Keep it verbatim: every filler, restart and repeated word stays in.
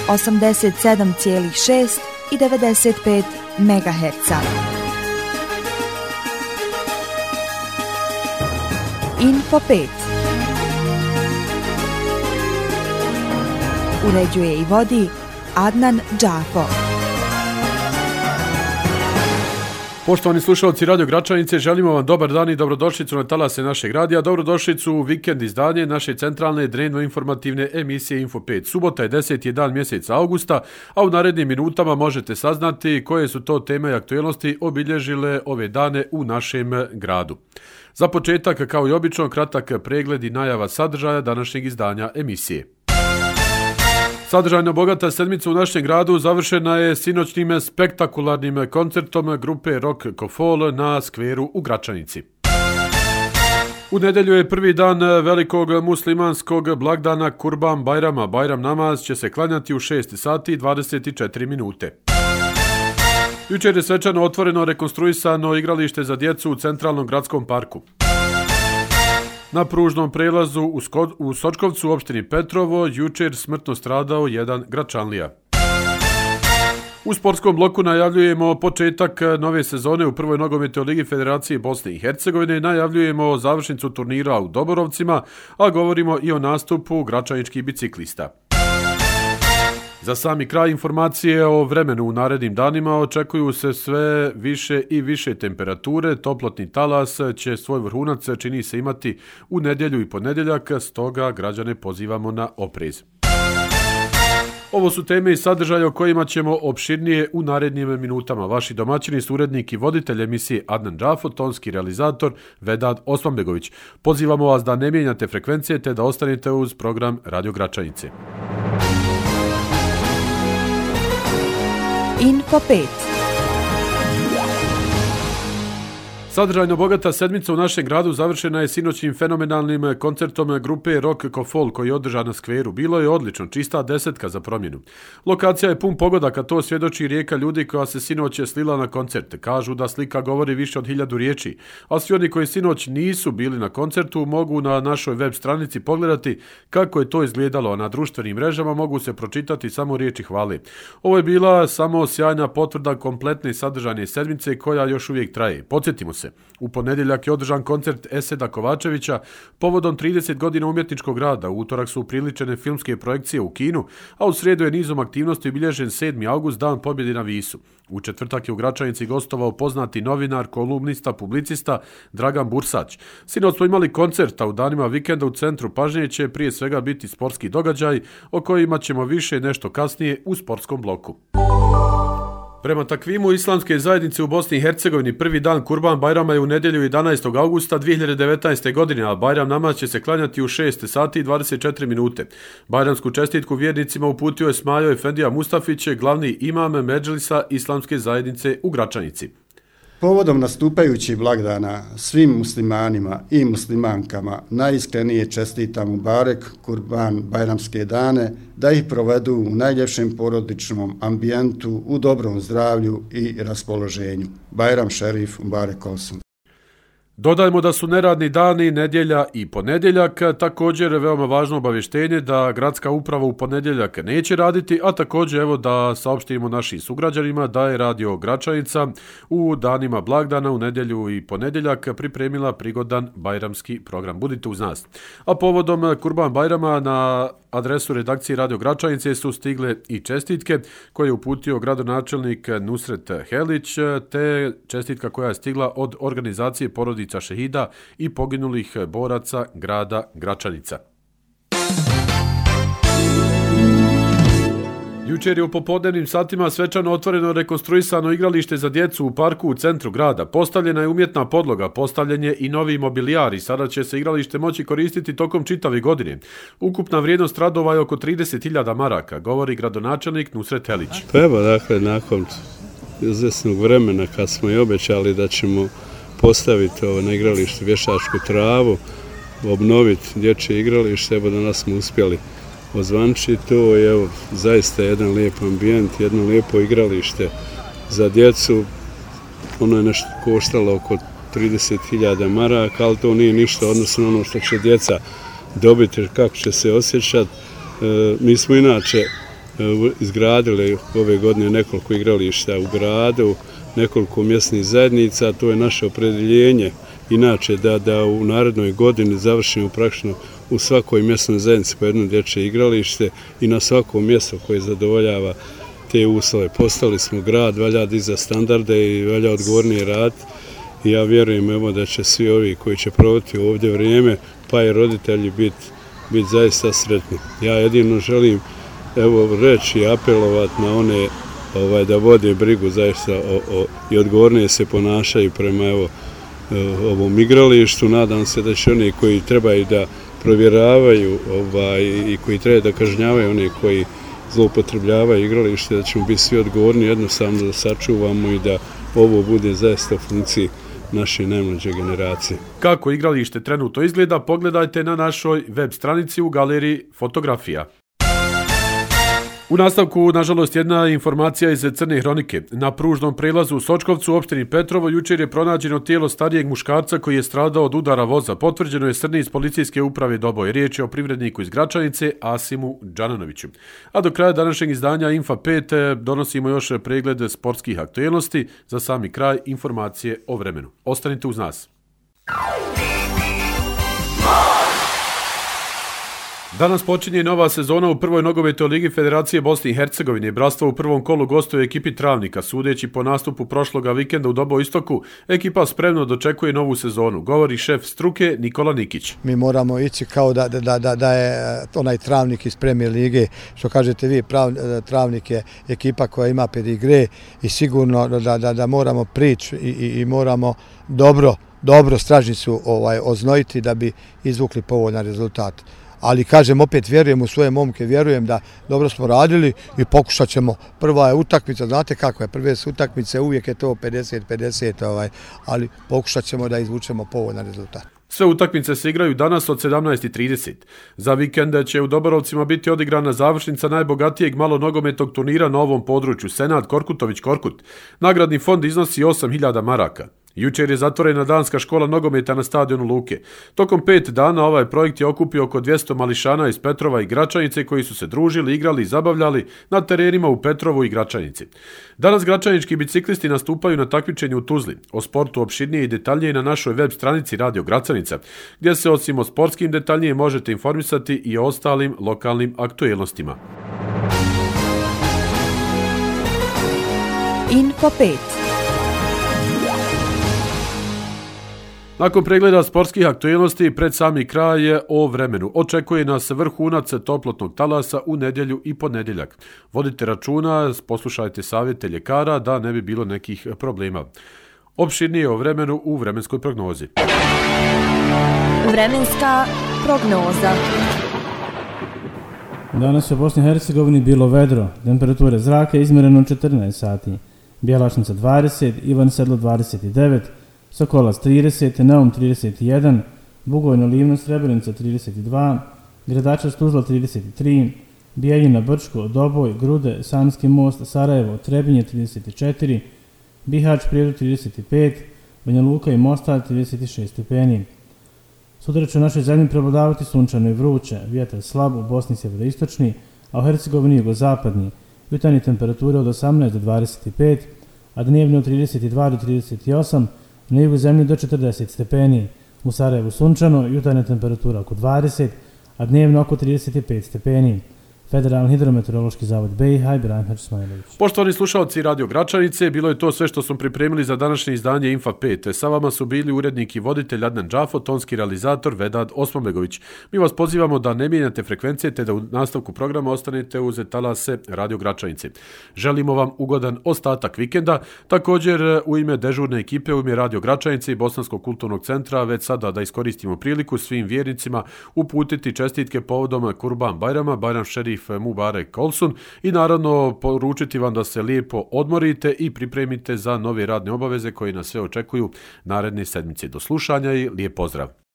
osamdeset sedam zarez šest i devedeset pet megaherca. Info pet. Uređuje i vodi Adnan Džafo. Poštovani slušalci Radio Gračanice, želimo vam dobar dan i dobrodošlicu na talase našeg radija. Dobrodošlicu u vikend izdanje naše centralne dnevno-informativne emisije Info pet. Subota je deseti dan mjeseca augusta, a u narednim minutama možete saznati koje su to teme i aktuelnosti obilježile ove dane u našem gradu. Za početak, kao i obično, kratak pregled i najava sadržaja današnjeg izdanja emisije. Sadržajno bogata sedmica u našem gradu završena je sinoćnim spektakularnim koncertom grupe Rock Kofol na skveru u Gračanici. U nedjelju je prvi dan velikog muslimanskog blagdana Kurban Bajrama. Bajram namaz će se klanjati u šest sati i dvadeset četiri minute. Jučer je svečano otvoreno rekonstruisano igralište za djecu u centralnom gradskom parku. Na pružnom prelazu u, Skod, u Sočkovcu u opštini Petrovo jučer smrtno stradao jedan Gračanlija. U sportskom bloku najavljujemo početak nove sezone u prvoj nogometnoj ligi Federacije Bosne i Hercegovine, najavljujemo završnicu turnira u Doborovcima, a govorimo i o nastupu gračaničkih biciklista. Za sami kraj informacije o vremenu u narednim danima očekuju se sve više i više temperature. Toplotni talas će svoj vrhunac, čini se, imati u nedjelju i ponedjeljak, stoga građane pozivamo na oprez. Ovo su teme i sadržaje o kojima ćemo opširnije u narednim minutama. Vaši domaćini su urednik i voditelj emisije Adnan Džafo, tonski realizator Vedad Osmanbegović. Pozivamo vas da ne mijenjate frekvencije te da ostanete uz program Radio Gračanice. Info pet. Sadržajno bogata sedmica u našem gradu završena je sinoćnim fenomenalnim koncertom grupe Rock Kofol koji je održan na skveru. Bilo je odlično, čista desetka za promjenu. Lokacija je pun pogodaka, to svjedoči rijeka ljudi koja se sinoć slila na koncert. Kažu da slika govori više od hiljadu riječi, a svi oni koji sinoć nisu bili na koncertu mogu na našoj web stranici pogledati kako je to izgledalo, a na društvenim mrežama mogu se pročitati samo riječi hvale. Ovo je bila samo sjajna potvrda kompletne sadržajne sedmice koja još uvijek traje. Podsjetimo se. U ponedjeljak je održan koncert Eseda Kovačevića povodom trideset godina umjetničkog rada. U utorak su upriličene filmske projekcije u kinu, a u srijedu je nizom aktivnosti obilježen sedmi august, dan pobjede na Visu. U četvrtak je u Gračanici gostovao poznati novinar, kolumnista, publicista Dragan Bursać. Sinoć smo imali koncert, a u danima vikenda u centru pažnje će prije svega biti sportski događaj, o kojima ćemo više nešto kasnije u sportskom bloku. Prema takvimu islamske zajednice u Bosni i Hercegovini prvi dan Kurban Bajrama je u nedjelju jedanaestog augusta dvije hiljade devetnaeste. godine, a Bajram namaz će se klanjati u šest sati i dvadeset četiri minute. Bajramsku čestitku vjernicima uputio je Smajo Efendija Mustafić, glavni imam Medžlisa islamske zajednice u Gračanici. Povodom nastupajućih blagdana svim muslimanima i muslimankama najiskrenije čestitam Mubarek Kurban Bajramske dane, da ih provedu u najljepšem porodičnom ambijentu, u dobrom zdravlju i raspoloženju. Bajram Šerif Mubarek Olsun. Dodajmo da su neradni dani, nedjelja i ponedjeljak. Također veoma važno obavještenje da gradska uprava u ponedjeljak neće raditi, a također evo da saopštimo našim sugrađanima da je Radio Gračanica u danima blagdana u nedjelju i ponedjeljak pripremila prigodan bajramski program. Budite uz nas. A povodom Kurban Bajrama na adresu redakcije Radio Gračanice su stigle i čestitke koje je uputio gradonačelnik Nusret Helić, te čestitka koja je stigla od organizacije porodica šehida i poginulih boraca grada Gračanica. Jučer je u popodnevnim satima svečano otvoreno rekonstruisano igralište za djecu u parku u centru grada. Postavljena je umjetna podloga, postavljen je i novi mobilijar i sada će se igralište moći koristiti tokom čitave godine. Ukupna vrijednost radova je oko trideset hiljada maraka, govori gradonačelnik Nusret Helić. Pa evo, dakle, nakon izvjesnog vremena kad smo i obećali da ćemo postaviti ovo na igralištu vještačku travu, obnoviti dječje igralište, evo danas smo uspjeli ozvančiti to i evo zaista jedan lijep ambijent, jedno lijepo igralište za djecu. Ono je nešto koštalo oko trideset hiljada maraka, ali to nije ništa odnosno na ono što će djeca dobiti, kako će se osjećati. E, mi smo inače izgradili ove godine nekoliko igrališta u gradu, nekoliko mjesnih zajednica, to je naše opredjeljenje. Inače, da, da u narednoj godini završimo praktično u svakoj mjesnoj zajednici po jedno dječje igralište i na svakom mjestu koje zadovoljava te uslove. Postali smo grad, valja dizati standarde i valja odgovornije raditi. I ja vjerujem evo, da će svi ovi koji će provoditi ovdje vrijeme, pa i roditelji biti bit zaista sretni. Ja jedino želim evo, reći i apelovati na one ovaj, da vode brigu zaista o, o, i odgovornije se ponašaju prema evo, ovom igralištu. Nadam se da će oni koji trebaju da provjeravaju ovaj, i koji trebaju da kažnjavaju one koji zloupotrebljavaju igralište, da ćemo biti svi odgovorni, jednostavno da sačuvamo i da ovo bude zaista u funkciji naše najmlađe generacije. Kako igralište trenutno izgleda, pogledajte na našoj web stranici u galeriji fotografija. U nastavku, nažalost, jedna informacija iz Crne hronike. Na pružnom prelazu u Sočkovcu u opštini Petrovo jučer je pronađeno tijelo starijeg muškarca koji je stradao od udara voza. Potvrđeno je Srni iz policijske uprave Doboj. Riječ je o privredniku iz Gračanice, Asimu Džananoviću. A do kraja današnjeg izdanja Infa pet donosimo još pregled sportskih aktuelnosti. Za sami kraj informacije o vremenu. Ostanite uz nas. Danas počinje nova sezona u prvoj nogometnoj ligi Federacije Bosne i Hercegovine. Bratstvo u prvom kolu gostuje ekipi Travnika. Sudeći po nastupu prošloga vikenda u Doboj Istoku, ekipa spremno dočekuje novu sezonu. Govori šef struke Nikola Nikić. Mi moramo ići kao da, da, da, da je onaj Travnik iz Premier lige. Što kažete vi, prav, Travnik je ekipa koja ima pedigre i sigurno da, da, da moramo prići i, i, i moramo dobro, dobro stražnicu ovaj, oznojiti da bi izvukli povoljan rezultat. Ali kažem, opet vjerujem u svoje momke, vjerujem da dobro smo radili i pokušat ćemo. Prva je utakmica, znate kako je, prve su utakmice, uvijek je to pedeset pedeset, ovaj, ali pokušat ćemo da izvučemo povoljan rezultat. Sve utakmice se igraju danas od sedamnaest i trideset. Za vikend će u Doborovcima biti odigrana završnica najbogatijeg malonogometnog turnira na ovom području, Senad Korkutović-Korkut. Nagradni fond iznosi osam hiljada maraka. Jučer je zatvorena danska škola nogometa na stadionu Luke. Tokom pet dana ovaj projekt je okupio oko dvjesto mališana iz Petrova i Gračanice koji su se družili, igrali i zabavljali na terenima u Petrovu i Gračanici. Danas gračanički biciklisti nastupaju na takmičenju u Tuzli. O sportu opširnije i detaljnije na našoj web stranici Radio Gračanica, gdje se osim o sportskim detaljnije možete informisati i o ostalim lokalnim aktuelnostima. Info pet. Nakon pregleda sportskih aktuelnosti pred sami kraj je o vremenu. Očekuje nas vrhunac toplotnog talasa u nedjelju i ponedjeljak. Vodite računa, poslušajte savjete ljekara da ne bi bilo nekih problema. Opširnije o vremenu u vremenskoj prognozi. Vremenska prognoza. Danas u Bosni i Hercegovini bilo vedro, temperature zraka izmjereno četrnaest sati, Bjelašnica dvadeset, Ivan Sedlo dvadeset devet, Sokolac trideset, Neum trideset jedan, Bugojno Livno Srebrenica trideset dva, Gradačac Tuzla trideset tri, Bijeljina Brčko, Doboj, Grude, Sanski most, Sarajevo, Trebinje trideset četiri, Bihać Prijedu trideset pet, Banja Luka i Mostar trideset šest stepeni. Sutra će u našoj zemlji prevladavati sunčano i vruće, vjetar slab u Bosni sjeveroistočni, a u Hercegovini jugozapadni, jutarnje temperature od osamnaest do dvadeset pet, a dnevno od trideset dva do trideset osam, na jugu zemlje do četrdeset stepeni. U Sarajevu sunčano, jutarnja temperatura oko dvadeset, a dnevno oko trideset pet stepeni. Federalni hidrometeorološki zavod B i H i Branislav Ismailović. Poštovani slušalci Radio Gračanice, bilo je to sve što smo pripremili za današnje izdanje Infa pet. Sa vama su bili urednik i voditelj Adnan Džafo, tonski realizator Vedad Osmanbegović. Mi vas pozivamo da ne mijenjate frekvencije te da u nastavku programa ostanete uz talase Radio Gračanice. Želimo vam ugodan ostatak vikenda. Također u ime dežurne ekipe, u ime Radio Gračanice i Bosanskog kulturnog centra, već sada da iskoristimo priliku svim vjernicima uputiti čestitke povodom Kurban Bajrama, Bajram Šerif Mubarek Olsun i naravno poručiti vam da se lijepo odmorite i pripremite za nove radne obaveze koje nas sve očekuju naredne sedmice. Do slušanja i lijep pozdrav!